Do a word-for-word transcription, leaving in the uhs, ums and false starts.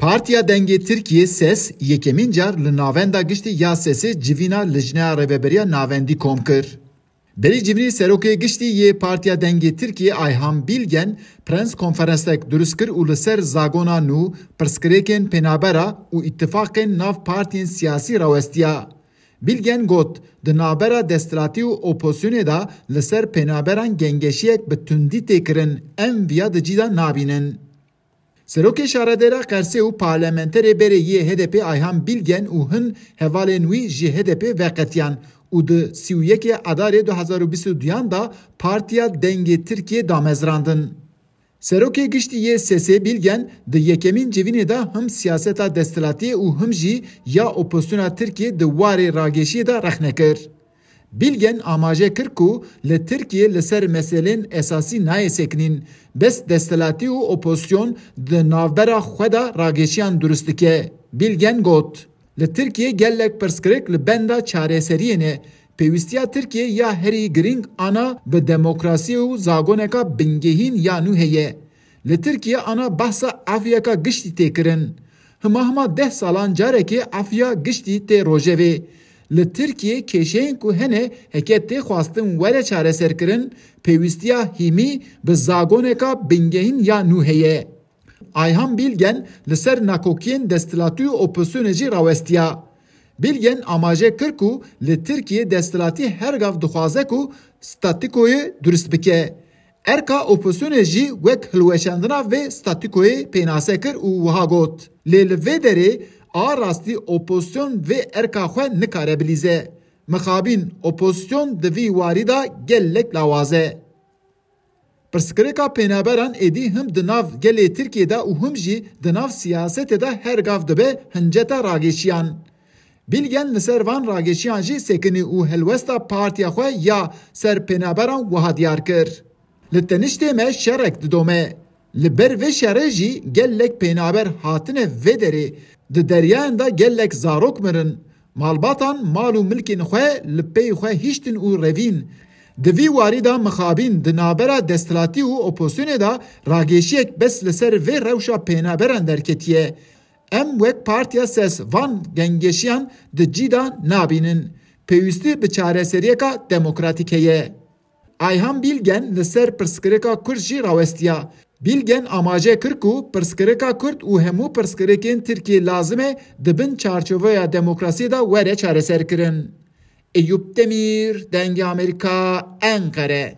Partiya Dengê Tirkiyê, ses, yekemîn car li Navenda Giştî ya sesê civîna Lijneya Rêveberiya Navendî kom kir. Berî civînî Serokê Giştî yê Partiya Dengê Tirkiyê Ayhan Bilgen prens konferensek durust kir û li ser zagona nû, pirsgirêkên pênabera û îtifaqên nav partiyên siyasî rawestiya. Bilgen got, di navbera desthilatî û opozisyonê de li ser pênaberan gengeşiyek bi tundî tê kirin, em viya di cî de nabînin. Serokê Şaredêra Qersê û parlamenterê berê yê H D P Ayhan Bilgen û hin hevalên wî ji H D P veqetiyan û di sî û yekê Adarê du hezar û bîst û duyan de Partiya Dengê Tirkiyê damezrandin. Serokê Giştî yê sesê Bilgen di yekemîn civînê de him siyaseta desthilatiyê û him jî ya opozisyona Tirkiyê di warê rageşiyê de rexne kir. Bilgen amaje kir ku li Tirkiyê li ser meselên esasî nayê sekinîn, bes desthilatî û opozisyon di navbera xwe de rageşiyan durust dike. Bilgen got, li Tirkiyê gelek pirsgirêk li benda çareseriyê ne. Pêwîstiya Tirkiyê ya herî girîng ana bi demokrasiyê û zagoneka bingehîn ya nû heye. Li Tirkiyê ana behsa efûyeka giştî tê kirin. Hima hima deh salan carekê efûya giştî tê rojevê. Li Tirkiyê kêşeyên ku hene heke tê xwestin were çareserkirin, pêwîstiya hîmî bi zagoneka bingehîn ya nû heye. Ayhan Bilgen li ser nakokiyên desthilatî û opozisyonê jî rawestiya. Bilgen amaje kir ku li Tirkiyê desthilatî her gav dixwaze ku statîkoyê durust bike. Erka opozisyonê jî wek hilweşandina vê statîkoyê pênase kir û wiha got, lê li vê derê a rastî opozisyon vê erka xwe nikare bilîze. Mixabîn, opozisyon di vî warî de gelek lawaz e. Pirsgirêka pênaberan êdî him di nav gelê Tirkiyê de û him jî di nav siyasetê de her gav dibe hinceta rageşiyan. Bilgen li ser van rageşiyan jî sekinî û helwesta partiya xwe ya ser pênaberan wiha diyar kir. Li teniştê me şerek didome. Li ber vê şerê jî gelek pênaber hatine vê derê. Di deryayan de gelek zarok mirin. Malbatan mal û milkên xwe li pey xwe hiştin û revîn. Di vî warî de mixabîn di navbera desthilatî û opozisyonê de rageşiyek bes li ser vê rewşa pênaberan derketiye. Em wek partiya ses van gengeşiyan di cî de nabînin. Pêwîstî bi çareseriyeka demokratîk heye. Ayhan Bilgen li ser pirsgirêka Kurd jî rawestiya. Bilgen amaje kir ku pirsgirêka Kurd û hemû pirsgirêkên Tirkiyê lazim e di bin çarçoveya demokrasiyê de were çareserkirin. Eyûp Demîr, Dengê Amerîka, Enqere.